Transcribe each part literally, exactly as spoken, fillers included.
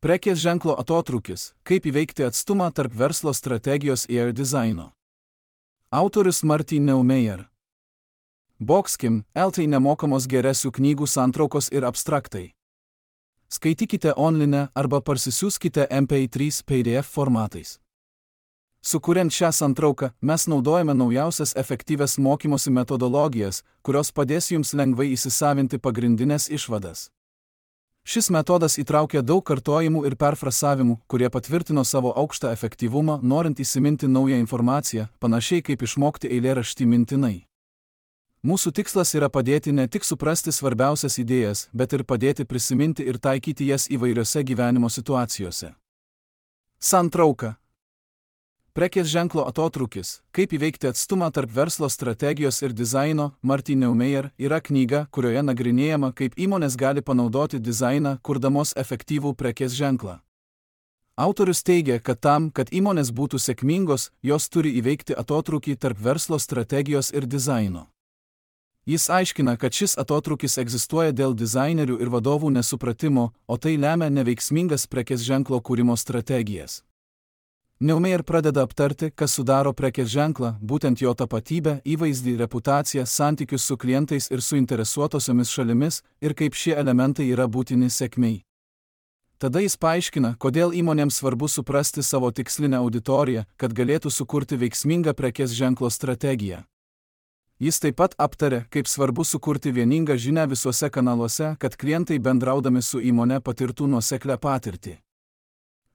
Prekės ženklo atotrūkis – kaip įveikti atstumą tarp verslo strategijos ir dizaino. Autorius Martin Neumeyer. Boxkim, L T nemokamos geresių knygų santraukos ir abstraktai. Skaitykite online arba parsisiųskite M P trys P D F formatais. Sukuriant šią santrauką, mes naudojame naujausias efektyvias mokymosi metodologijas, kurios padės jums lengvai įsisavinti pagrindinės išvadas. Šis metodas įtraukia daug kartojimų ir perfrasavimų, kurie patvirtino savo aukštą efektyvumą, norint įsiminti naują informaciją, panašiai kaip išmokti eilėraštį mintinai. Mūsų tikslas yra padėti ne tik suprasti svarbiausias idėjas, bet ir padėti prisiminti ir taikyti jas įvairiose gyvenimo situacijose. Santrauka. Prekės ženklo atotrūkis – kaip įveikti atstumą tarp verslo strategijos ir dizaino, Martin Neumeyer, yra knyga, kurioje nagrinėjama, kaip įmonės gali panaudoti dizainą, kurdamos efektyvų prekės ženklą. Autorius teigia, kad tam, kad įmonės būtų sėkmingos, jos turi įveikti atotrūkį tarp verslo strategijos ir dizaino. Jis aiškina, kad šis atotrūkis egzistuoja dėl dizainerių ir vadovų nesupratimo, o tai lemia neveiksmingas prekės ženklo kūrimo strategijas. Neumeyer pradeda aptarti, kas sudaro prekės ženklą, būtent jo tapatybę, įvaizdį, reputaciją, santykius su klientais ir suinteresuotosiomis šalimis, ir kaip šie elementai yra būtini sėkmei. Tada jis paaiškina, kodėl įmonėms svarbu suprasti savo tikslinę auditoriją, kad galėtų sukurti veiksmingą prekės ženklo strategiją. Jis taip pat aptarė, kaip svarbu sukurti vieningą žinią visuose kanaluose, kad klientai bendraudami su įmone patirtų nuoseklią patirtį.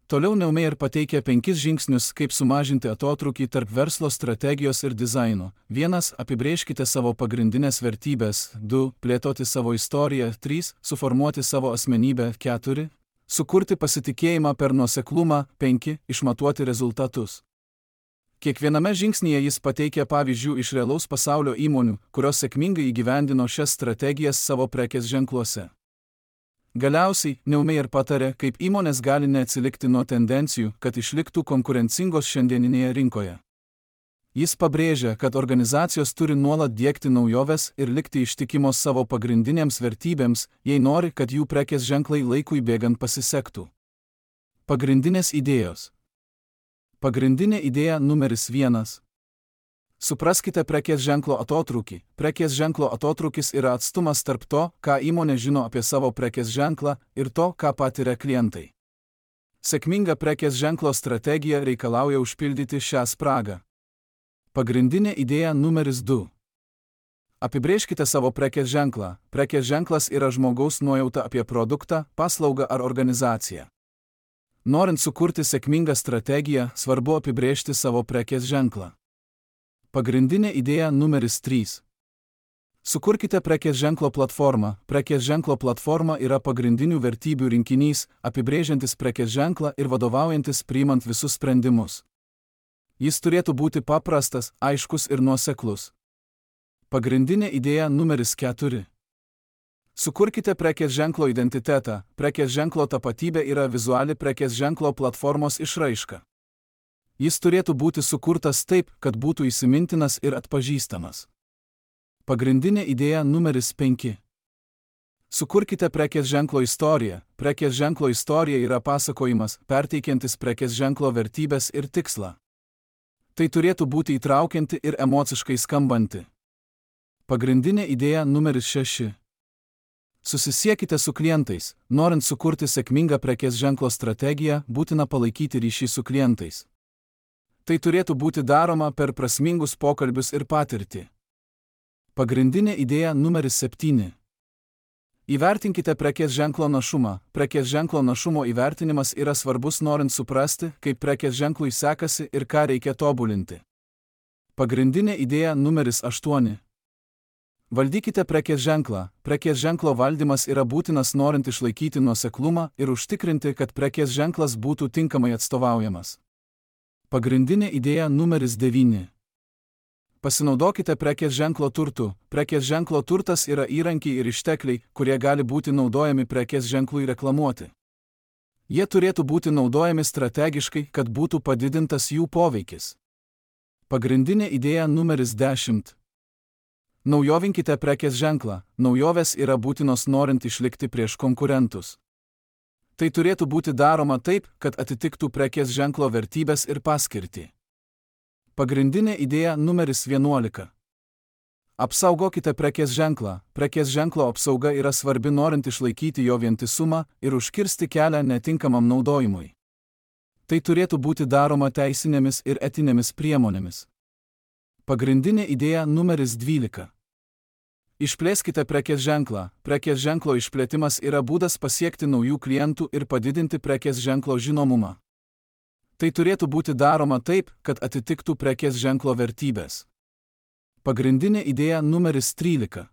Toliau Neumeyer pateikia penkis žingsnius, kaip sumažinti atotrūkį tarp verslo strategijos ir dizaino. Vienas – apibrėžkite savo pagrindinės vertybės. Du – plėtoti savo istoriją. Trys – suformuoti savo asmenybę. Keturi – sukurti pasitikėjimą per nuoseklumą. Penki – išmatuoti rezultatus. Kiekviename žingsnyje jis pateikia pavyzdžių iš realaus pasaulio įmonių, kurios sėkmingai įgyvendino šias strategijas savo prekės ženkluose. Galiausiai, Neumeyer patarė, kaip įmonės gali neatsilikti nuo tendencijų, kad išliktų konkurencingos šiandieninėje rinkoje. Jis pabrėžia, kad organizacijos turi nuolat diegti naujoves ir likti ištikimos savo pagrindinėms vertybėms, jei nori, kad jų prekės ženklai laikui bėgant pasisektų. Pagrindinės idėjos. Pagrindinė idėja numeris vienas. Supraskite prekės ženklo atotrūkį. Prekės ženklo atotrūkis yra atstumas tarp to, ką įmonė žino apie savo prekės ženklą, ir to, ką patiria klientai. Sėkminga prekės ženklo strategija reikalauja užpildyti šią spragą. Pagrindinė idėja numeris du. Apibrėžkite savo prekės ženklą. Prekės ženklas yra žmogaus nuojauta apie produktą, paslaugą ar organizaciją. Norint sukurti sėkmingą strategiją, svarbu apibrėžti savo prekės ženklą. Pagrindinė idėja numeris trys. Sukurkite prekės ženklo platformą. Prekės ženklo platforma yra pagrindinių vertybių rinkinys, apibrėžiantis prekės ženklą ir vadovaujantis priimant visus sprendimus. Jis turėtų būti paprastas, aiškus ir nuoseklus. Pagrindinė idėja numeris keturi. Sukurkite prekės ženklo identitetą. Prekės ženklo tapatybė yra vizuali prekės ženklo platformos išraiška. Jis turėtų būti sukurtas taip, kad būtų įsimintinas ir atpažįstamas. Pagrindinė idėja numeris penki. Sukurkite prekės ženklo istoriją. Prekės ženklo istorija yra pasakojimas, perteikiantis prekės ženklo vertybės ir tikslą. Tai turėtų būti įtraukianti ir emociškai skambanti. Pagrindinė idėja numeris šeši. Susisiekite su klientais. Norint sukurti sėkmingą prekės ženklo strategiją, būtina palaikyti ryšį su klientais. Tai turėtų būti daroma per prasmingus pokalbius ir patirtį. Pagrindinė idėja numeris septyni. Įvertinkite prekės ženklo našumą. Prekės ženklo našumo įvertinimas yra svarbus norint suprasti, kaip prekės ženklui sekasi ir ką reikia tobulinti. Pagrindinė idėja numeris aštuoni. Valdykite prekės ženklą. Prekės ženklo valdymas yra būtinas norint išlaikyti nuoseklumą ir užtikrinti, kad prekės ženklas būtų tinkamai atstovaujamas. Pagrindinė idėja numeris devyni. Pasinaudokite prekės ženklo turtu. Prekės ženklo turtas yra įrankiai ir ištekliai, kurie gali būti naudojami prekės ženklui reklamuoti. Jie turėtų būti naudojami strategiškai, kad būtų padidintas jų poveikis. Pagrindinė idėja numeris dešimt. Naujovinkite prekės ženklą. Naujovės yra būtinos norint išlikti prieš konkurentus. Tai turėtų būti daroma taip, kad atitiktų prekės ženklo vertybės ir paskirtį. Pagrindinė idėja numeris vienuolika. Apsaugokite prekės ženklą. Prekės ženklo apsauga yra svarbi norint išlaikyti jo vientisumą ir užkirsti kelią netinkamam naudojimui. Tai turėtų būti daroma teisinėmis ir etinėmis priemonėmis. Pagrindinė idėja numeris dvylika. Išplėskite prekės ženklą. Prekės ženklo išplėtimas yra būdas pasiekti naujų klientų ir padidinti prekės ženklo žinomumą. Tai turėtų būti daroma taip, kad atitiktų prekės ženklo vertybės. Pagrindinė idėja numeris trylika.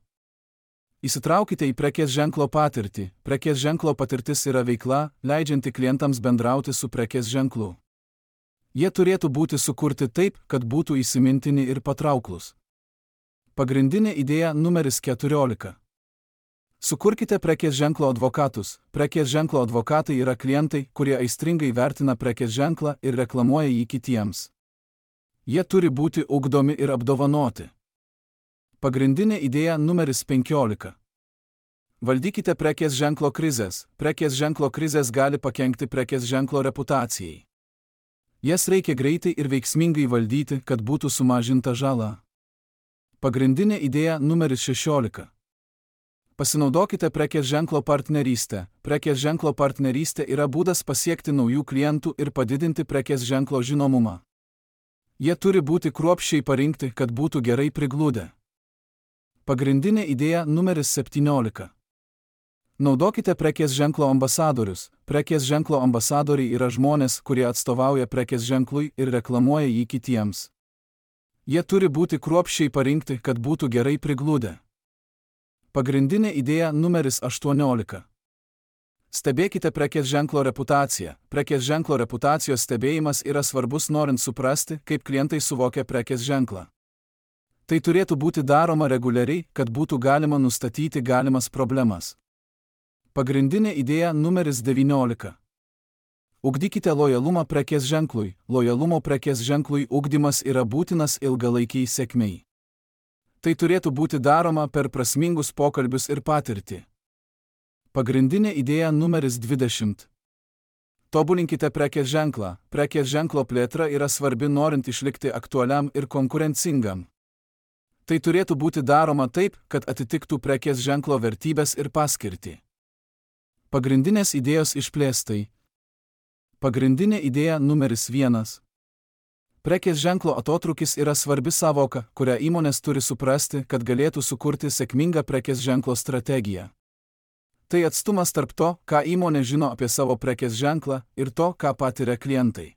Įsitraukite į prekės ženklo patirtį. Prekės ženklo patirtis yra veikla, leidžianti klientams bendrauti su prekės ženklu. Jie turėtų būti sukurti taip, kad būtų įsimintini ir patrauklus. Pagrindinė idėja numeris keturiolika. Sukurkite prekės ženklo advokatus. Prekės ženklo advokatai yra klientai, kurie aistringai vertina prekės ženklą ir reklamuoja jį kitiems. Jie turi būti ugdomi ir apdovanoti. Pagrindinė idėja numeris penkiolika. Valdykite prekės ženklo krizės. Prekės ženklo krizės gali pakenkti prekės ženklo reputacijai. Jas reikia greitai ir veiksmingai valdyti, kad būtų sumažinta žala. Pagrindinė idėja numeris šešiolika. Pasinaudokite prekės ženklo partnerystę. Prekės ženklo partnerystė yra būdas pasiekti naujų klientų ir padidinti prekės ženklo žinomumą. Jie turi būti kruopščiai parinkti, kad būtų gerai prigludę. Pagrindinė idėja numeris septyniolika. Naudokite prekės ženklo ambasadorius. Prekės ženklo ambasadoriai yra žmonės, kurie atstovauja prekės ženklui ir reklamuoja jį kitiems. Jie turi būti kruopščiai parinkti, kad būtų gerai prigludę. Pagrindinė idėja numeris aštuoniolika. Stebėkite prekės ženklo reputaciją. Prekės ženklo reputacijos stebėjimas yra svarbus norint suprasti, kaip klientai suvokia prekės ženklą. Tai turėtų būti daroma reguliariai, kad būtų galima nustatyti galimas problemas. Pagrindinė idėja numeris devyniolika. Ugdykite lojalumą prekės ženklui. Lojalumo prekės ženklui ugdymas yra būtinas ilgalaikiai sėkmei. Tai turėtų būti daroma per prasmingus pokalbius ir patirtį. Pagrindinė idėja numeris dvidešimt. Tobulinkite prekės ženklą. Prekės ženklo plėtra yra svarbi norint išlikti aktualiam ir konkurencingam. Tai turėtų būti daroma taip, kad atitiktų prekės ženklo vertybės ir paskirtį. Pagrindinės idėjos išplėstai. Pagrindinė idėja numeris vienas. Prekės ženklo atotrūkis yra svarbi savoka, kurią įmonės turi suprasti, kad galėtų sukurti sėkmingą prekės ženklo strategiją. Tai atstumas tarp to, ką įmonė žino apie savo prekės ženklą, ir to, ką patiria klientai.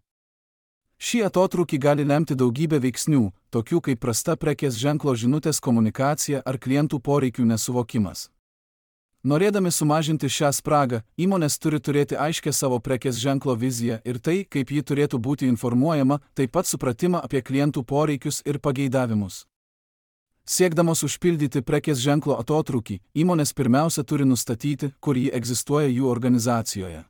Šį atotrūkį gali lemti daugybė veiksnių, tokių kaip prasta prekės ženklo žinutės komunikacija ar klientų poreikių nesuvokimas. Norėdami sumažinti šią spragą, įmonės turi turėti aiškę savo prekės ženklo viziją ir tai, kaip ji turėtų būti informuojama, taip pat supratimą apie klientų poreikius ir pageidavimus. Siekdamos užpildyti prekės ženklo atotrūkį, įmonės pirmiausia turi nustatyti, kur ji egzistuoja jų organizacijoje.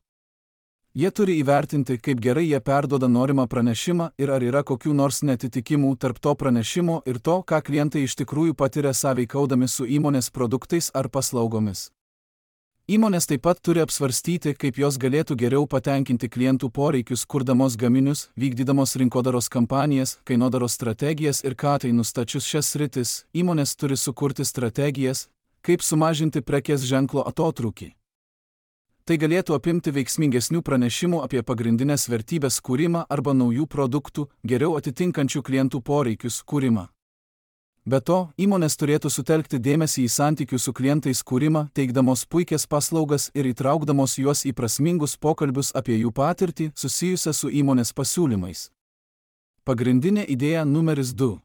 Jie turi įvertinti, kaip gerai jie perduoda norimą pranešimą ir ar yra kokių nors netitikimų tarp to pranešimo ir to, ką klientai iš tikrųjų patiria sąveikaudami su įmonės produktais ar paslaugomis. Įmonės taip pat turi apsvarstyti, kaip jos galėtų geriau patenkinti klientų poreikius, kurdamos gaminius, vykdydamos rinkodaros kampanijas, kainodaros strategijas ir ką tai nustačius šias sritis, įmonės turi sukurti strategijas, kaip sumažinti prekės ženklo atotrūkį. Tai galėtų apimti veiksmingesnių pranešimų apie pagrindinės vertybės kūrimą arba naujų produktų, geriau atitinkančių klientų poreikius kūrimą. Be to, įmonės turėtų sutelkti dėmesį į santykių su klientais kūrimą, teikdamos puikias paslaugas ir įtraukdamos juos į prasmingus pokalbius apie jų patirtį susijusią su įmonės pasiūlymais. Pagrindinė idėja numeris du.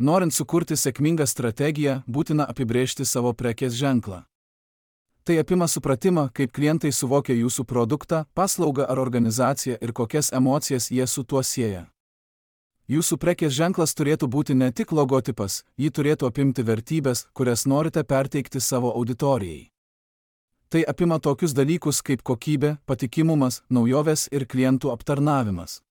Norint sukurti sėkmingą strategiją, būtina apibrėžti savo prekės ženklą. Tai apima supratimą, kaip klientai suvokia jūsų produktą, paslaugą ar organizaciją ir kokias emocijas jie su tuo sieja. Jūsų prekės ženklas turėtų būti ne tik logotipas, jį turėtų apimti vertybės, kurias norite perteikti savo auditorijai. Tai apima tokius dalykus kaip kokybė, patikimumas, naujovės ir klientų aptarnavimas.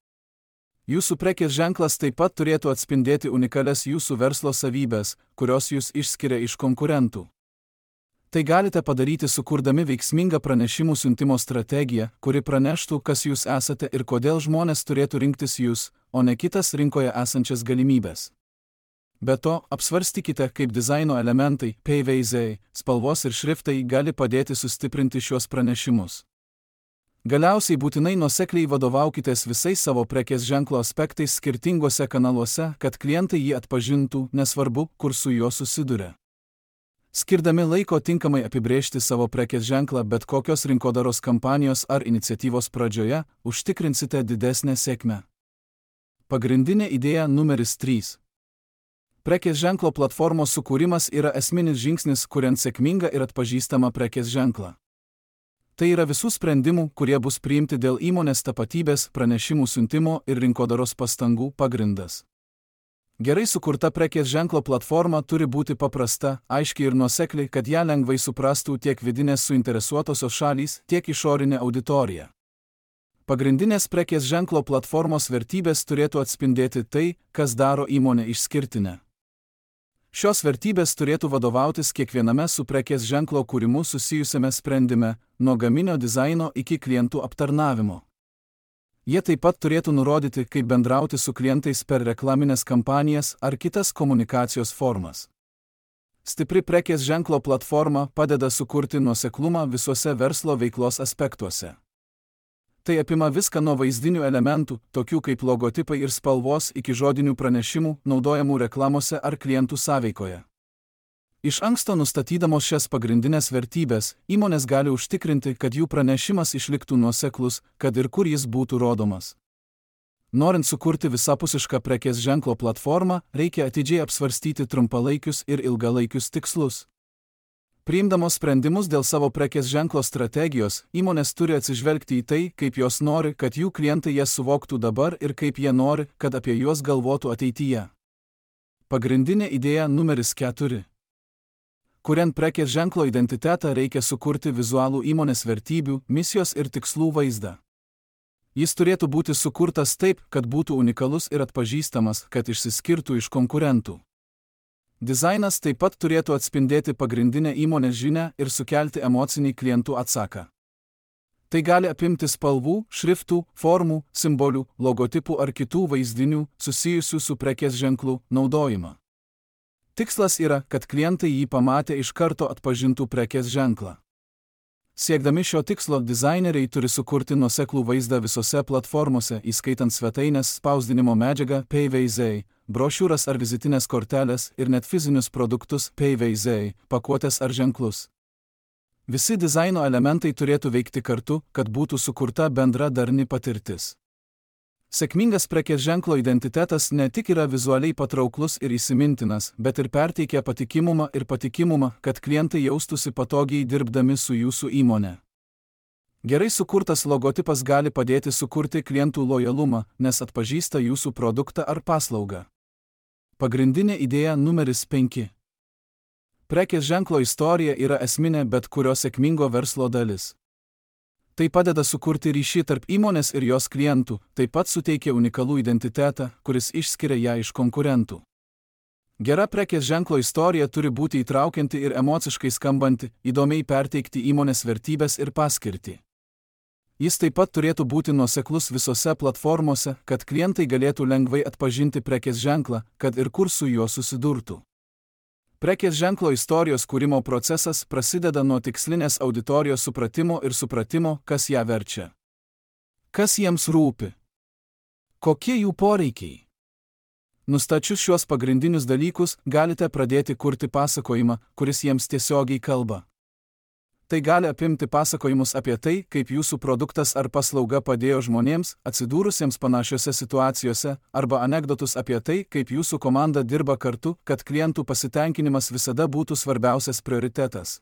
Jūsų prekės ženklas taip pat turėtų atspindėti unikalias jūsų verslo savybės, kurios jūs išskiria iš konkurentų. Tai galite padaryti sukurdami veiksmingą pranešimų siuntimo strategiją, kuri praneštų, kas jūs esate ir kodėl žmonės turėtų rinktis jūs, o ne kitas rinkoje esančias galimybės. Be to, apsvarstykite, kaip dizaino elementai, paveiksliai, spalvos ir šriftai gali padėti sustiprinti šiuos pranešimus. Galiausiai būtinai nuosekliai vadovaukitės visais savo prekės ženklo aspektais skirtinguose kanaluose, kad klientai jį atpažintų, nesvarbu, kur su juo susiduria. Skirdami laiko tinkamai apibrėžti savo prekės ženklą bet kokios rinkodaros kampanijos ar iniciatyvos pradžioje, užtikrinsite didesnę sėkmę. Pagrindinė idėja numeris trys. Prekės ženklo platformos sukūrimas yra esminis žingsnis, kuriant sėkmingą ir atpažįstamą prekės ženklą. Tai yra visų sprendimų, kurie bus priimti dėl įmonės tapatybės, pranešimų siuntimo ir rinkodaros pastangų pagrindas. Gerai sukurta prekės ženklo platforma turi būti paprasta, aiški ir nuosekli, kad ją lengvai suprastų tiek vidinės suinteresuotosios šalys, tiek išorinė auditorija. Pagrindinės prekės ženklo platformos vertybės turėtų atspindėti tai, kas daro įmonę išskirtinę. Šios vertybės turėtų vadovautis kiekviename su prekės ženklo kūrimu susijusiame sprendime, nuo gaminio dizaino iki klientų aptarnavimo. Jie taip pat turėtų nurodyti, kaip bendrauti su klientais per reklaminės kampanijas ar kitas komunikacijos formas. Stipri prekės ženklo platforma padeda sukurti nuoseklumą visuose verslo veiklos aspektuose. Tai apima viską nuo vaizdinių elementų, tokių kaip logotipai ir spalvos, iki žodinių pranešimų, naudojamų reklamose ar klientų sąveikoje. Iš anksto nustatydamos šias pagrindinės vertybės, įmonės gali užtikrinti, kad jų pranešimas išliktų nuoseklus, kad ir kur jis būtų rodomas. Norint sukurti visapusišką prekės ženklo platformą, reikia atidžiai apsvarstyti trumpalaikius ir ilgalaikius tikslus. Priimdamos sprendimus dėl savo prekės ženklo strategijos, įmonės turi atsižvelgti į tai, kaip jos nori, kad jų klientai jas suvoktų dabar ir kaip jie nori, kad apie juos galvotų ateityje. Pagrindinė idėja numeris keturi. Kuriant prekės ženklo identitetą, reikia sukurti vizualų įmonės vertybių, misijos ir tikslų vaizdą. Jis turėtų būti sukurtas taip, kad būtų unikalus ir atpažįstamas, kad išsiskirtų iš konkurentų. Dizainas taip pat turėtų atspindėti pagrindinę įmonės žinią ir sukelti emocinį klientų atsaką. Tai gali apimti spalvų, šriftų, formų, simbolių, logotipų ar kitų vaizdinių susijusių su prekės ženklu naudojimą. Tikslas yra, kad klientai jį pamatę iš karto atpažintų prekės ženklą. Siekdami šio tikslo, dizaineriai turi sukurti nuoseklų vaizdą visose platformose, įskaitant svetainės, spausdinimo medžiagą, paveiksliai, brošiūras ar vizitinės korteles ir net fizinius produktus, paveiksliai, pakuotes ar ženklus. Visi dizaino elementai turėtų veikti kartu, kad būtų sukurta bendra darni patirtis. Sėkmingas prekės ženklo identitetas ne tik yra vizualiai patrauklus ir įsimintinas, bet ir perteikia patikimumą ir patikimumą, kad klientai jaustųsi patogiai dirbdami su jūsų įmonė. Gerai sukurtas logotipas gali padėti sukurti klientų lojalumą, nes atpažįsta jūsų produktą ar paslaugą. Pagrindinė idėja numeris penki. Prekės ženklo istorija yra esminė bet kurio sėkmingo verslo dalis. Tai padeda sukurti ryšį tarp įmonės ir jos klientų, taip pat suteikia unikalų identitetą, kuris išskiria ją iš konkurentų. Gera prekės ženklo istorija turi būti įtraukianti ir emociškai skambanti, įdomiai perteikti įmonės vertybės ir paskirtį. Jis taip pat turėtų būti nuoseklus visose platformose, kad klientai galėtų lengvai atpažinti prekės ženklą, kad ir kur su juo susidurtų. Prekės ženklo istorijos kūrimo procesas prasideda nuo tikslinės auditorijos supratimo ir supratimo, kas ją verčia. Kas jiems rūpi? Kokie jų poreikiai? Nustačius šiuos pagrindinius dalykus, galite pradėti kurti pasakojimą, kuris jiems tiesiogiai kalba. Tai gali apimti pasakojimus apie tai, kaip jūsų produktas ar paslauga padėjo žmonėms, atsidūrusiems panašiose situacijose, arba anekdotus apie tai, kaip jūsų komanda dirba kartu, kad klientų pasitenkinimas visada būtų svarbiausias prioritetas.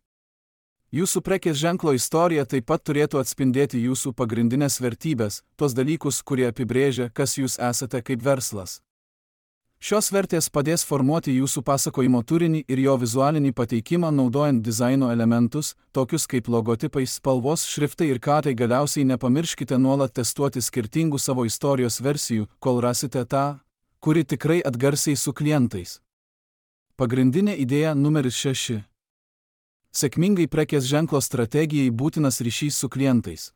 Jūsų prekės ženklo istorija taip pat turėtų atspindėti jūsų pagrindinės vertybės, tos dalykus, kurie apibrėžia, kas jūs esate kaip verslas. Šios vertės padės formuoti jūsų pasakojimo turinį ir jo vizualinį pateikimą naudojant dizaino elementus, tokius kaip logotipai, spalvos, šriftai ir kadrai. Galiausiai nepamirškite nuolat testuoti skirtingų savo istorijos versijų, kol rasite tą, kuri tikrai atgarsiai su klientais. Pagrindinė idėja numeris šeši. Sėkmingai prekės ženklo strategijai būtinas ryšys su klientais.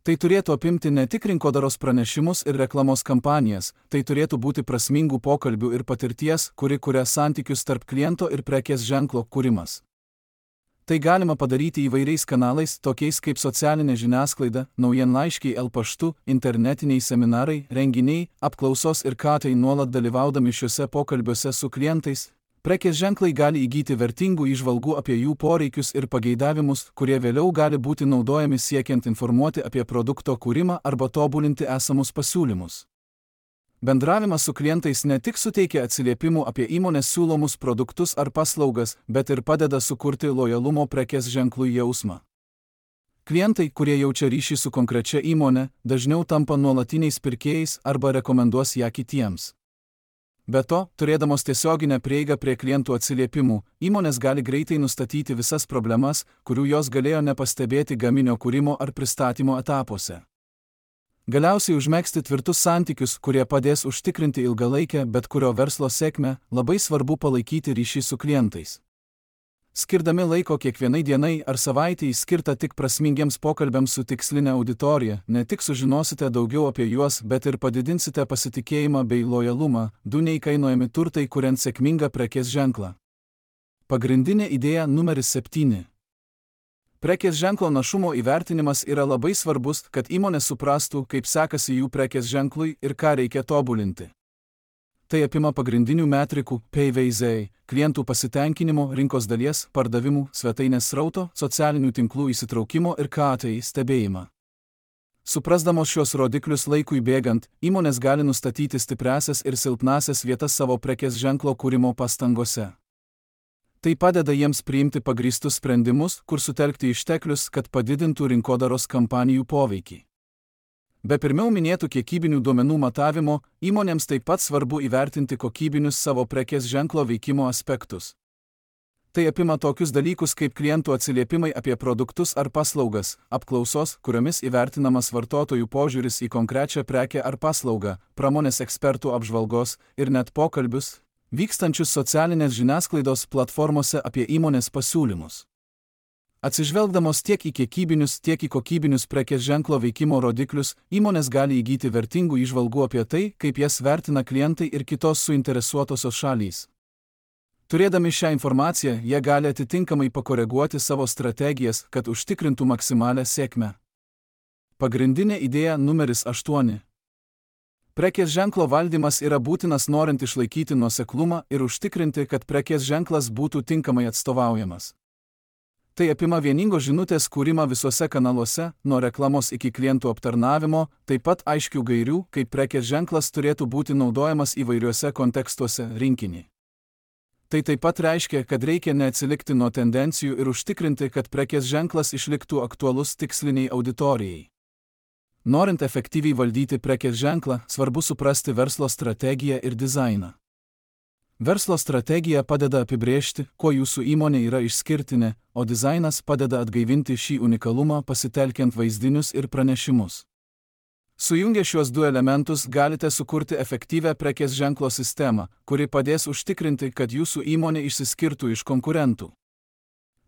Tai turėtų apimti ne tik rinkodaros pranešimus ir reklamos kampanijas, tai turėtų būti prasmingų pokalbių ir patirties, kuri kuria santykius tarp kliento ir prekės ženklo kūrimas. Tai galima padaryti įvairiais kanalais, tokiais kaip socialinė žiniasklaida, naujienlaiškiai el paštu, internetiniai seminarai, renginiai, apklausos ir katai nuolat dalyvaudami šiuose pokalbiuose su klientais. Prekės ženklai gali įgyti vertingų įžvalgų apie jų poreikius ir pageidavimus, kurie vėliau gali būti naudojami siekiant informuoti apie produkto kūrimą arba tobulinti esamus pasiūlymus. Bendravimas su klientais ne tik suteikia atsiliepimų apie įmonės siūlomus produktus ar paslaugas, bet ir padeda sukurti lojalumo prekės ženklui jausmą. Klientai, kurie jaučia ryšį su konkrečia įmonė, dažniau tampa nuolatiniais pirkėjais arba rekomenduos ją kitiems. Be to, turėdamos tiesioginę prieigą prie klientų atsiliepimų, įmonės gali greitai nustatyti visas problemas, kurių jos galėjo nepastebėti gaminio kūrimo ar pristatymo etapuose. Galiausiai užmegzti tvirtus santykius, kurie padės užtikrinti ilgalaikę bet kurio verslo sėkmę, labai svarbu palaikyti ryšį su klientais. Skirdami laiko kiekvienai dienai ar savaitei skirtą tik prasmingiems pokalbiams su tikslinė auditorija, ne tik sužinosite daugiau apie juos, bet ir padidinsite pasitikėjimą bei lojalumą, du neįkainojami turtai kuriant sėkmingą prekės ženklą. Pagrindinė idėja numeris septyni. Prekės ženklo našumo įvertinimas yra labai svarbus, kad įmonė suprastų, kaip sekasi jų prekės ženklui ir ką reikia tobulinti. Tai apima pagrindinių metrikų P V Z, klientų pasitenkinimo, rinkos dalies, pardavimų, svetainės srauto, socialinių tinklų įsitraukimo ir K A T stebėjimą. Suprasdamos šios rodiklius laikui bėgant, įmonės gali nustatyti stipriąsias ir silpnąsias vietas savo prekės ženklo kūrimo pastangose. Tai padeda jiems priimti pagrįstus sprendimus, kur sutelkti išteklius, kad padidintų rinkodaros kampanijų poveikį. Be pirmiau minėtų kiekybinių duomenų matavimo, įmonėms taip pat svarbu įvertinti kokybinius savo prekės ženklo veikimo aspektus. Tai apima tokius dalykus kaip klientų atsiliepimai apie produktus ar paslaugas, apklausos, kuriomis įvertinamas vartotojų požiūris į konkrečią prekę ar paslaugą, pramonės ekspertų apžvalgos ir net pokalbius, vykstančius socialinės žiniasklaidos platformose apie įmonės pasiūlymus. Atsižvelgdamos tiek į kiekybinius, tiek į kokybinius prekės ženklo veikimo rodiklius, įmonės gali įgyti vertingų įžvalgų apie tai, kaip jas vertina klientai ir kitos suinteresuotosios šalys. Turėdami šią informaciją, jie gali atitinkamai pakoreguoti savo strategijas, kad užtikrintų maksimalią sėkmę. Pagrindinė idėja numeris aštuoni. Prekės ženklo valdymas yra būtinas norint išlaikyti nuoseklumą ir užtikrinti, kad prekės ženklas būtų tinkamai atstovaujamas. Tai apima vieningos žinutės kūrimą visuose kanaluose, nuo reklamos iki klientų aptarnavimo, taip pat aiškių gairių, kaip prekės ženklas turėtų būti naudojamas įvairiuose kontekstuose rinkinį. Tai taip pat reiškia, kad reikia neatsilikti nuo tendencijų ir užtikrinti, kad prekės ženklas išliktų aktualus tiksliniai auditorijai. Norint efektyviai valdyti prekės ženklą, svarbu suprasti verslo strategiją ir dizainą. Verslo strategija padeda apibrėžti, kuo jūsų įmonė yra išskirtinė, o dizainas padeda atgaivinti šį unikalumą pasitelkiant vaizdinius ir pranešimus. Sujungę šiuos du elementus galite sukurti efektyvią prekės ženklo sistemą, kuri padės užtikrinti, kad jūsų įmonė išsiskirtų iš konkurentų.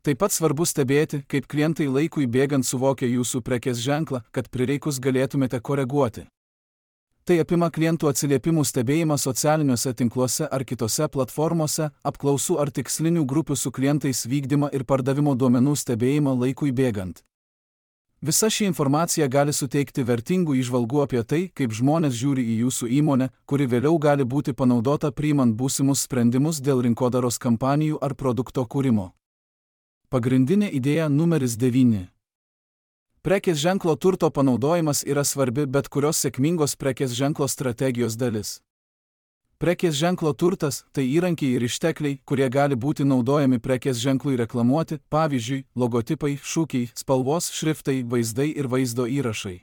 Taip pat svarbu stebėti, kaip klientai laikui bėgant suvokia jūsų prekės ženklą, kad prireikus galėtumėte koreguoti. Tai apima klientų atsiliepimų stebėjimą socialiniuose tinkluose ar kitose platformose, apklausų ar tikslinių grupių su klientais vykdymą ir pardavimo duomenų stebėjimą laikui bėgant. Visa ši informacija gali suteikti vertingų įžvalgų apie tai, kaip žmonės žiūri į jūsų įmonę, kuri vėliau gali būti panaudota priimant būsimus sprendimus dėl rinkodaros kampanijų ar produkto kūrimo. Pagrindinė idėja numeris devyni. Prekės ženklo turto panaudojimas yra svarbi bet kurios sėkmingos prekės ženklo strategijos dalis. Prekės ženklo turtas – tai įrankiai ir ištekliai, kurie gali būti naudojami prekės ženklui reklamuoti, pavyzdžiui, logotipai, šūkiai, spalvos, šriftai, vaizdai ir vaizdo įrašai.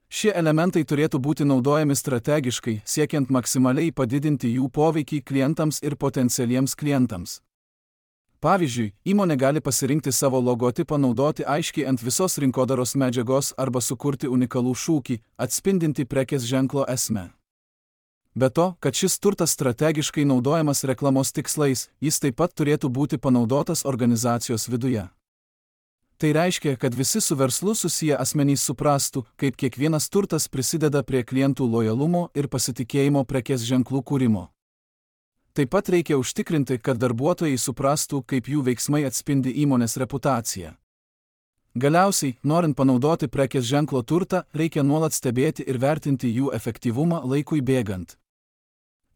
Šie elementai turėtų būti naudojami strategiškai, siekiant maksimaliai padidinti jų poveikį klientams ir potencialiems klientams. Pavyzdžiui, įmonė gali pasirinkti savo logotipą naudoti aiškiai ant visos rinkodaros medžiagos arba sukurti unikalų šūkį, atspindinti prekės ženklo esmę. Be to, kad šis turtas strategiškai naudojamas reklamos tikslais, jis taip pat turėtų būti panaudotas organizacijos viduje. Tai reiškia, kad visi su verslu susiję asmenys suprastų, kaip kiekvienas turtas prisideda prie klientų lojalumo ir pasitikėjimo prekės ženklų kūrimo. Taip pat reikia užtikrinti, kad darbuotojai suprastų, kaip jų veiksmai atspindi įmonės reputaciją. Galiausiai, norint panaudoti prekės ženklo turtą, reikia nuolat stebėti ir vertinti jų efektyvumą laikui bėgant.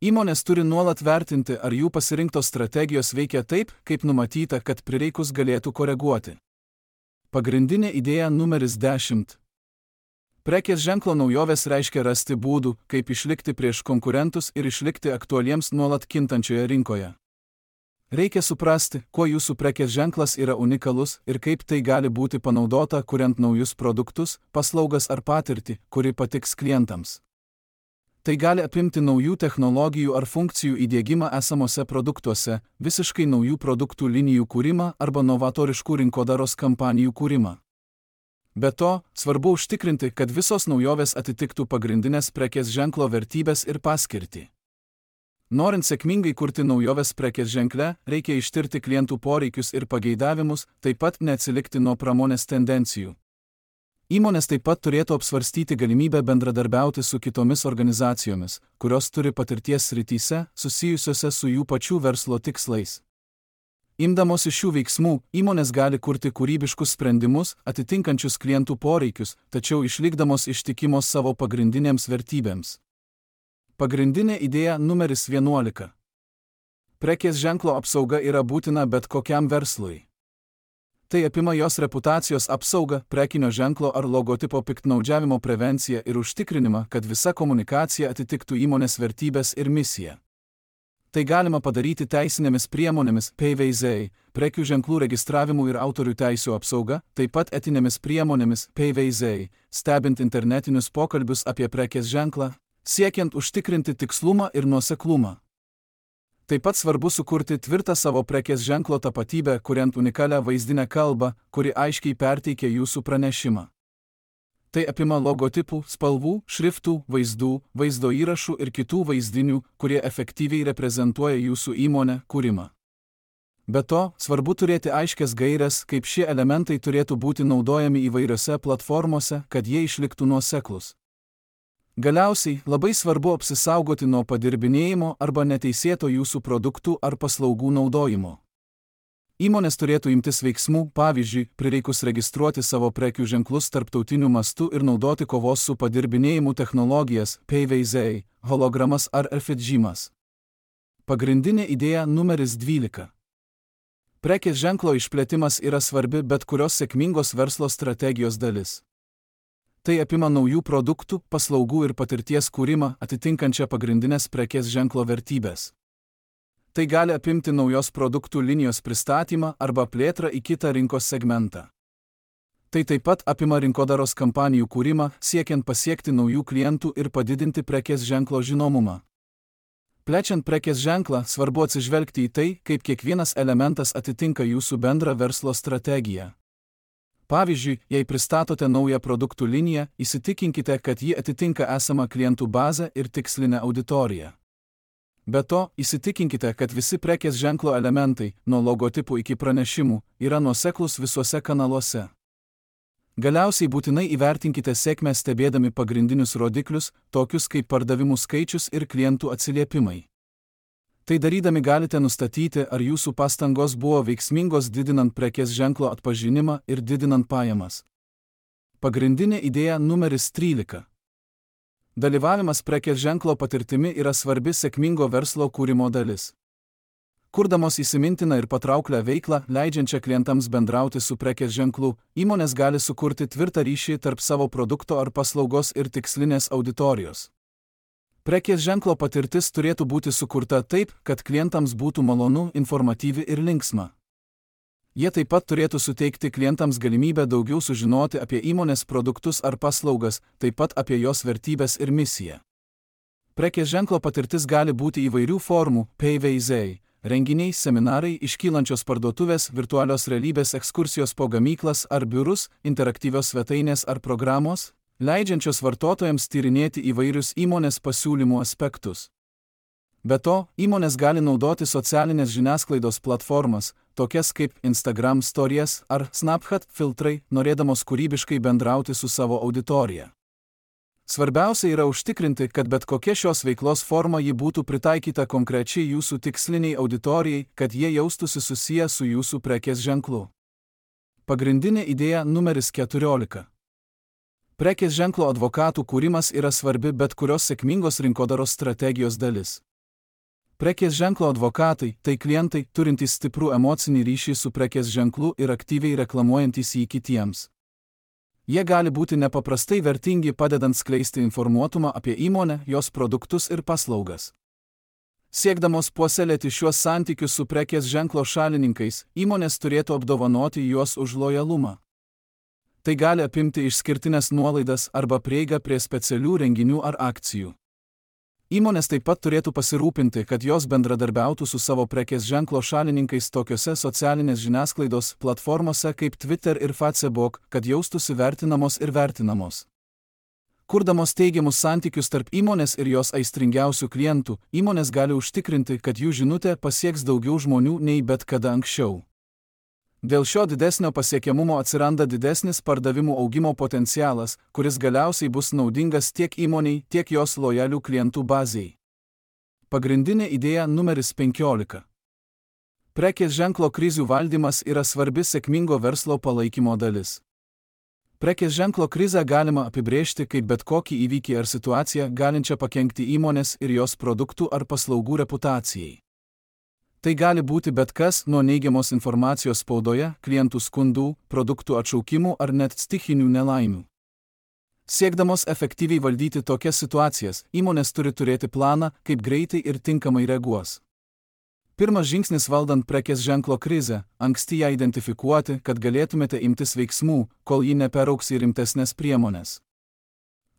Įmonės turi nuolat vertinti, ar jų pasirinktos strategijos veikia taip, kaip numatyta, kad prireikus galėtų koreguoti. Pagrindinė idėja numeris dešimt. Prekės ženklo naujovės reiškia rasti būdų, kaip išlikti prieš konkurentus ir išlikti aktualiems nuolat kintančioje rinkoje. Reikia suprasti, kuo jūsų prekės ženklas yra unikalus ir kaip tai gali būti panaudota, kuriant naujus produktus, paslaugas ar patirtį, kuri patiks klientams. Tai gali apimti naujų technologijų ar funkcijų įdiegimą esamuose produktuose, visiškai naujų produktų linijų kūrimą arba novatoriškų rinkodaros kampanijų kūrimą. Be to, svarbu užtikrinti, kad visos naujovės atitiktų pagrindinės prekės ženklo vertybės ir paskirtį. Norint sėkmingai kurti naujoves prekės ženkle, reikia ištirti klientų poreikius ir pageidavimus, taip pat neatsilikti nuo pramonės tendencijų. Įmonės taip pat turėtų apsvarstyti galimybę bendradarbiauti su kitomis organizacijomis, kurios turi patirties srityse, susijusiose su jų pačių verslo tikslais. Imdamosi šių veiksmų, įmonės gali kurti kūrybiškus sprendimus, atitinkančius klientų poreikius, tačiau išlikdamos ištikimos savo pagrindinėms vertybėms. Pagrindinė idėja numeris vienuolika. Prekės ženklo apsauga yra būtina bet kokiam verslui. Tai apima jos reputacijos apsaugą, prekinio ženklo ar logotipo piktnaudžiavimo prevenciją ir užtikrinimą, kad visa komunikacija atitiktų įmonės vertybės ir misiją. Tai galima padaryti teisinėmis priemonėmis P V Z, prekių ženklų registravimu ir autorių teisių apsauga, taip pat etinėmis priemonėmis P V Z, stebint internetinius pokalbius apie prekės ženklą, siekiant užtikrinti tikslumą ir nuoseklumą. Taip pat svarbu sukurti tvirtą savo prekės ženklo tapatybę, kuriant unikalią vaizdinę kalbą, kuri aiškiai perteikia jūsų pranešimą. Tai apima logotipų, spalvų, šriftų, vaizdų, vaizdo įrašų ir kitų vaizdinių, kurie efektyviai reprezentuoja jūsų įmonę, kūrimą. Be to, svarbu turėti aiškias gaires, kaip šie elementai turėtų būti naudojami įvairiose platformose, kad jie išliktų nuoseklūs. Galiausiai, labai svarbu apsisaugoti nuo padirbinėjimo arba neteisėto jūsų produktų ar paslaugų naudojimo. Įmonės turėtų imtis veiksmų, pavyzdžiui, prireikus registruoti savo prekių ženklus tarptautiniu mastu ir naudoti kovos su padirbinėjimu technologijas, P V Z, hologramas ar efidžymas. Pagrindinė idėja numeris dvylika. Prekės ženklo išplėtimas yra svarbi bet kurios sėkmingos verslo strategijos dalis. Tai apima naujų produktų, paslaugų ir patirties kūrimą, atitinkančią pagrindinės prekės ženklo vertybės. Tai gali apimti naujos produktų linijos pristatymą arba plėtrą į kitą rinkos segmentą. Tai taip pat apima rinkodaros kampanijų kūrimą, siekiant pasiekti naujų klientų ir padidinti prekės ženklo žinomumą. Plečiant prekės ženklą, svarbu atsižvelgti į tai, kaip kiekvienas elementas atitinka jūsų bendrą verslo strategiją. Pavyzdžiui, jei pristatote naują produktų liniją, įsitikinkite, kad ji atitinka esamą klientų bazę ir tikslinę auditoriją. Be to, įsitikinkite, kad visi prekės ženklo elementai, nuo logotipų iki pranešimų, yra nuoseklūs visuose kanaluose. Galiausiai būtinai įvertinkite sėkmę stebėdami pagrindinius rodiklius, tokius kaip pardavimų skaičius ir klientų atsiliepimai. Tai darydami galite nustatyti, ar jūsų pastangos buvo veiksmingos didinant prekės ženklo atpažinimą ir didinant pajamas. Pagrindinė idėja numeris trylika. Dalyvavimas prekės ženklo patirtimi yra svarbi sėkmingo verslo kūrimo dalis. Kurdamos įsimintiną ir patrauklią veiklą, leidžiančią klientams bendrauti su prekės ženklu, įmonės gali sukurti tvirtą ryšį tarp savo produkto ar paslaugos ir tikslinės auditorijos. Prekės ženklo patirtis turėtų būti sukurta taip, kad klientams būtų malonu, informatyvi ir linksma. Jie taip pat turėtų suteikti klientams galimybę daugiau sužinoti apie įmonės produktus ar paslaugas, taip pat apie jos vertybės ir misiją. Prekės ženklo patirtis gali būti įvairių formų, P V Z, renginiai, seminarai, iškylančios parduotuvės, virtualios realybės ekskursijos po gamyklas ar biurus, interaktyvios svetainės ar programos, leidžiančios vartotojams tyrinėti įvairius įmonės pasiūlymų aspektus. Be to, įmonės gali naudoti socialinės žiniasklaidos platformas, tokias kaip Instagram Stories ar Snapchat filtrai, norėdamos kūrybiškai bendrauti su savo auditorija. Svarbiausia yra užtikrinti, kad bet kokia šios veiklos forma ji būtų pritaikyta konkrečiai jūsų tiksliniai auditorijai, kad jie jaustųsi susiję su jūsų prekės ženklu. Pagrindinė idėja numeris keturiolika. Prekės ženklo advokatų kūrimas yra svarbi bet kurios sėkmingos rinkodaros strategijos dalis. Prekės ženklo advokatai – tai klientai, turintys stiprų emocinį ryšį su prekės ženklu ir aktyviai reklamuojantys jį kitiems. Jie gali būti nepaprastai vertingi padedant skleisti informuotumą apie įmonę, jos produktus ir paslaugas. Siekdamos puoselėti šiuos santykius su prekės ženklo šalininkais, įmonės turėtų apdovanoti juos už lojalumą. Tai gali apimti išskirtinės nuolaidas arba prieigą prie specialių renginių ar akcijų. Įmonės taip pat turėtų pasirūpinti, kad jos bendradarbiautų su savo prekės ženklo šalininkais tokiose socialinės žiniasklaidos platformose kaip Twitter ir Facebook, kad jaustųsi vertinamos ir vertinamos. Kurdamos teigiamus santykius tarp įmonės ir jos aistringiausių klientų, įmonės gali užtikrinti, kad jų žinutė pasieks daugiau žmonių nei bet kada anksčiau. Dėl šio didesnio pasiekiamumo atsiranda didesnis pardavimų augimo potencialas, kuris galiausiai bus naudingas tiek įmoniai, tiek jos lojalių klientų bazei. Pagrindinė idėja numeris penkiolika. Prekės ženklo krizių valdymas yra svarbi sėkmingo verslo palaikymo dalis. Prekės ženklo krizę galima apibrėžti kaip bet kokį įvykį ar situaciją, galinčią pakenkti įmonės ir jos produktų ar paslaugų reputacijai. Tai gali būti bet kas nuo neigiamos informacijos spaudoje, klientų skundų, produktų atšaukimų ar net stichinių nelaimių. Siekdamos efektyviai valdyti tokias situacijas, įmonės turi turėti planą, kaip greitai ir tinkamai reaguos. Pirmas žingsnis valdant prekės ženklo krizę – anksti ją identifikuoti, kad galėtumėte imtis veiksmų, kol ji neperaugs į rimtesnės priemonės.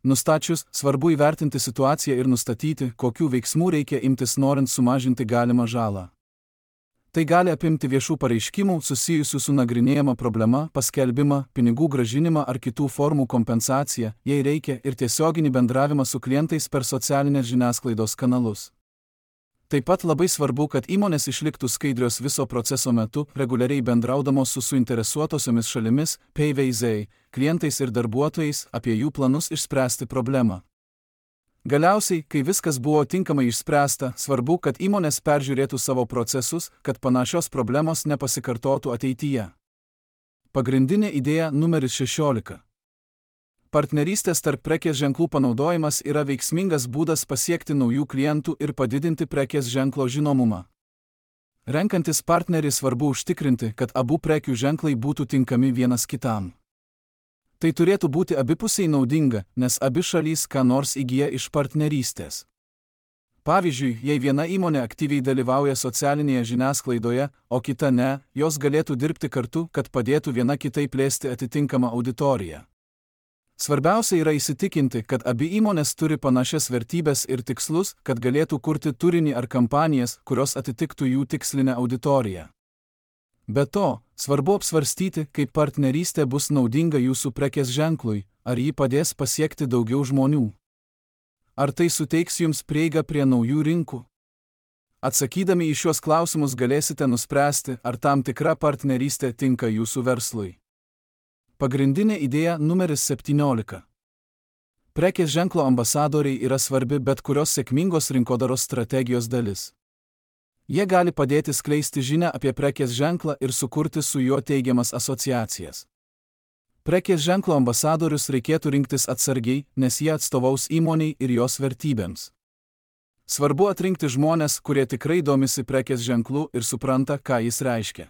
Nustačius, svarbu įvertinti situaciją ir nustatyti, kokių veiksmų reikia imtis norint sumažinti galimą žalą. Tai gali apimti viešų pareiškimų susijusių su nagrinėjama problema, paskelbimą, pinigų grąžinimą ar kitų formų kompensaciją, jei reikia, ir tiesioginį bendravimą su klientais per socialinės žiniasklaidos kanalus. Taip pat labai svarbu, kad įmonės išliktų skaidrios viso proceso metu, reguliariai bendraudamos su suinteresuotosiomis šalimis, P V Z, klientais ir darbuotojais, apie jų planus išspręsti problemą. Galiausiai, kai viskas buvo tinkamai išspręsta, svarbu, kad įmonės peržiūrėtų savo procesus, kad panašios problemos nepasikartotų ateityje. Pagrindinė idėja numeris šešiolika. Partnerystės tarp prekės ženklų panaudojimas yra veiksmingas būdas pasiekti naujų klientų ir padidinti prekės ženklo žinomumą. Renkantis partnerį svarbu užtikrinti, kad abu prekių ženklai būtų tinkami vienas kitam. Tai turėtų būti abipusiai naudinga, nes abi šalys ką nors įgyja iš partnerystės. Pavyzdžiui, jei viena įmonė aktyviai dalyvauja socialinėje žiniasklaidoje, o kita ne, jos galėtų dirbti kartu, kad padėtų viena kitai plėsti atitinkamą auditoriją. Svarbiausia yra įsitikinti, kad abi įmonės turi panašias vertybes ir tikslus, kad galėtų kurti turinį ar kampanijas, kurios atitiktų jų tikslinę auditoriją. Be to, svarbu apsvarstyti, kaip partnerystė bus naudinga jūsų prekės ženklui, ar ji padės pasiekti daugiau žmonių. Ar tai suteiks jums prieigą prie naujų rinkų? Atsakydami į šiuos klausimus galėsite nuspręsti, ar tam tikra partnerystė tinka jūsų verslui. Pagrindinė idėja numeris septyniolika. Prekės ženklo ambasadoriai yra svarbi bet kurios sėkmingos rinkodaros strategijos dalis. Jie gali padėti skleisti žinią apie prekės ženklą ir sukurti su juo teigiamas asociacijas. Prekės ženklo ambasadorius reikėtų rinktis atsargiai, nes jie atstovaus įmoniai ir jos vertybėms. Svarbu atrinkti žmones, kurie tikrai domisi prekės ženklu ir supranta, ką jis reiškia.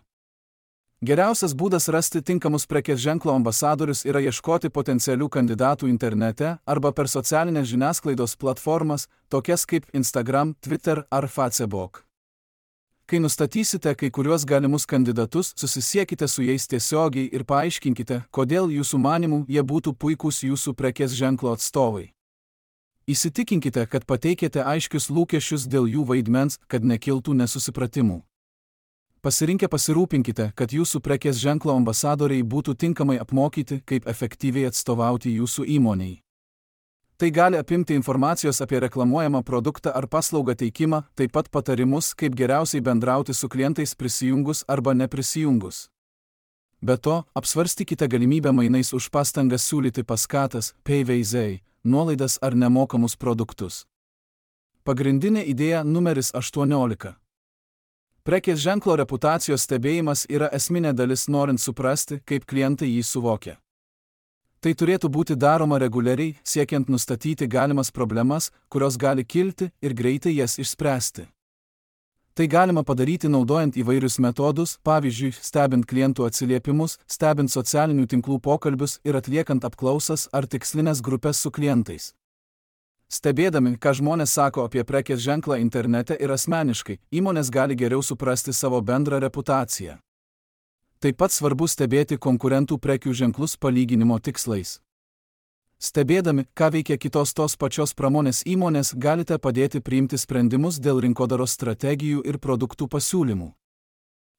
Geriausias būdas rasti tinkamus prekės ženklo ambasadorius yra ieškoti potencialių kandidatų internete arba per socialinės žiniasklaidos platformas, tokias kaip Instagram, Twitter ar Facebook. Kai nustatysite kai kuriuos galimus kandidatus, susisiekite su jais tiesiogiai ir paaiškinkite, kodėl jūsų manimų jie būtų puikūs jūsų prekės ženklo atstovai. Įsitikinkite, kad pateikėte aiškius lūkesčius dėl jų vaidmens, kad nekiltų nesusipratimų. Pasirinkę pasirūpinkite, kad jūsų prekės ženklo ambasadoriai būtų tinkamai apmokyti, kaip efektyviai atstovauti jūsų įmonei. Tai gali apimti informacijos apie reklamuojamą produktą ar paslaugą teikimą, taip pat patarimus, kaip geriausiai bendrauti su klientais prisijungus arba neprisijungus. Be to, apsvarstykite galimybę mainais už pastangas siūlyti paskatas, payveizai, nuolaidas ar nemokamus produktus. Pagrindinė idėja numeris aštuoniolika. Prekės ženklo reputacijos stebėjimas yra esminė dalis norint suprasti, kaip klientai jį suvokia. Tai turėtų būti daroma reguliariai, siekiant nustatyti galimas problemas, kurios gali kilti ir greitai jas išspręsti. Tai galima padaryti naudojant įvairius metodus, pavyzdžiui, stebint klientų atsiliepimus, stebint socialinių tinklų pokalbius ir atliekant apklausas ar tikslinės grupės su klientais. Stebėdami, ką žmonės sako apie prekės ženklą internete ir asmeniškai, įmonės gali geriau suprasti savo bendrą reputaciją. Taip pat svarbu stebėti konkurentų prekių ženklus palyginimo tikslais. Stebėdami, ką veikia kitos tos pačios pramonės įmonės, galite padėti priimti sprendimus dėl rinkodaros strategijų ir produktų pasiūlymų.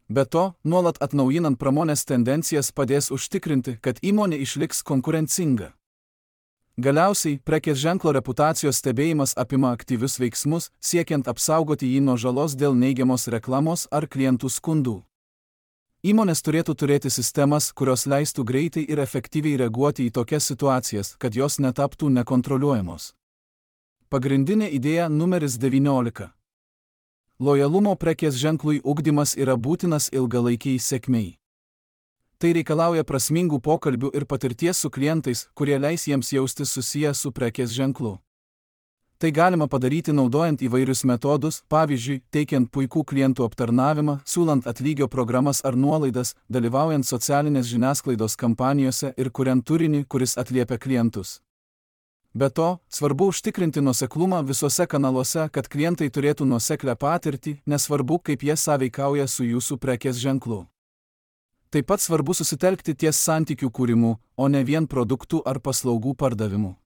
Be to, nuolat atnaujinant pramonės tendencijas padės užtikrinti, kad įmonė išliks konkurencinga. Galiausiai, prekės ženklo reputacijos stebėjimas apima aktyvius veiksmus, siekiant apsaugoti jį nuo žalos dėl neigiamos reklamos ar klientų skundų. Įmonės turėtų turėti sistemas, kurios leistų greitai ir efektyviai reaguoti į tokias situacijas, kad jos netaptų nekontroliuojamos. Pagrindinė idėja numeris devyniolika. Lojalumo prekės ženklui ugdymas yra būtinas ilgalaikiai sėkmei. Tai reikalauja prasmingų pokalbių ir patirties su klientais, kurie leis jiems jaustis susiję su prekės ženklu. Tai galima padaryti naudojant įvairius metodus, pavyzdžiui, teikiant puikų klientų aptarnavimą, siūlant atlygio programas ar nuolaidas, dalyvaujant socialinės žiniasklaidos kampanijose ir kuriant turinį, kuris atliepia klientus. Be to, svarbu užtikrinti nuoseklumą visuose kanaluose, kad klientai turėtų nuoseklę patirtį, nesvarbu, kaip jie sąveikauja su jūsų prekės ženklu. Taip pat svarbu susitelkti ties santykių kūrimu, o ne vien produktų ar paslaugų pardavimu.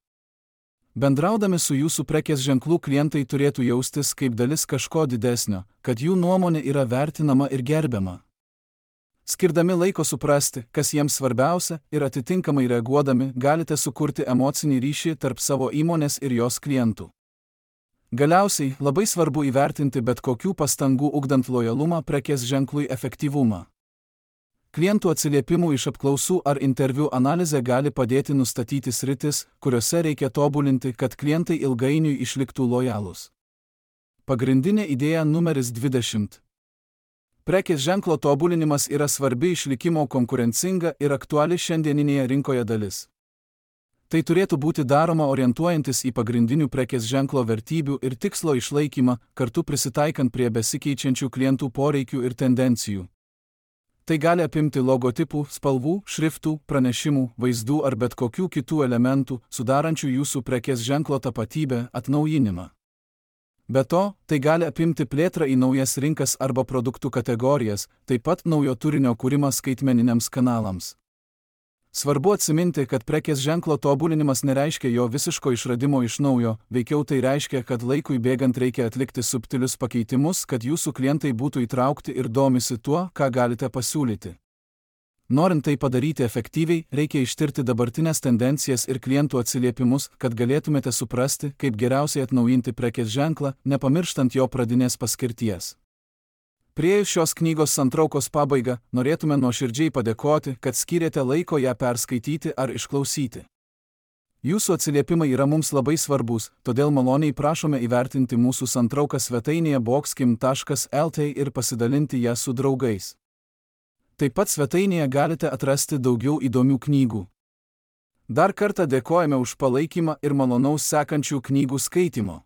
Bendraudami su jūsų prekės ženklų klientai turėtų jaustis kaip dalis kažko didesnio, kad jų nuomonė yra vertinama ir gerbiama. Skirdami laiko suprasti, kas jiems svarbiausia, ir atitinkamai reaguodami, galite sukurti emocinį ryšį tarp savo įmonės ir jos klientų. Galiausiai, labai svarbu įvertinti bet kokių pastangų ugdant lojalumą prekės ženklui efektyvumą. Klientų atsiliepimų iš apklausų ar interviu analizė gali padėti nustatyti sritis, kuriuose reikia tobulinti, kad klientai ilgainiui išliktų lojalūs. Pagrindinė idėja numeris dvidešimt. Prekės ženklo tobulinimas yra svarbi išlikimo konkurencinga ir aktuali šiandieninėje rinkoje dalis. Tai turėtų būti daroma orientuojantis į pagrindinių prekės ženklo vertybių ir tikslo išlaikymą, kartu prisitaikant prie besikeičiančių klientų poreikių ir tendencijų. Tai gali apimti logotipų, spalvų, šriftų, pranešimų, vaizdų ar bet kokių kitų elementų, sudarančių jūsų prekės ženklo tapatybę, atnaujinimą. Be to, tai gali apimti plėtrą į naujas rinkas arba produktų kategorijas, taip pat naujo turinio kūrimą skaitmeniniams kanalams. Svarbu atsiminti, kad prekės ženklo tobulinimas nereiškia jo visiško išradimo iš naujo, veikiau tai reiškia, kad laikui bėgant reikia atlikti subtilius pakeitimus, kad jūsų klientai būtų įtraukti ir domisi tuo, ką galite pasiūlyti. Norint tai padaryti efektyviai, reikia ištirti dabartinės tendencijas ir klientų atsiliepimus, kad galėtumėte suprasti, kaip geriausiai atnaujinti prekės ženklą, nepamirštant jo pradinės paskirties. Priėjus šios knygos santraukos pabaigą, norėtume nuoširdžiai padėkoti, kad skyrėte laiko ją perskaityti ar išklausyti. Jūsų atsiliepimai yra mums labai svarbus, todėl maloniai prašome įvertinti mūsų santrauką svetainėje boxkim taškas lt ir pasidalinti ją su draugais. Taip pat svetainėje galite atrasti daugiau įdomių knygų. Dar kartą dėkojame už palaikymą ir malonaus sekančių knygų skaitymo.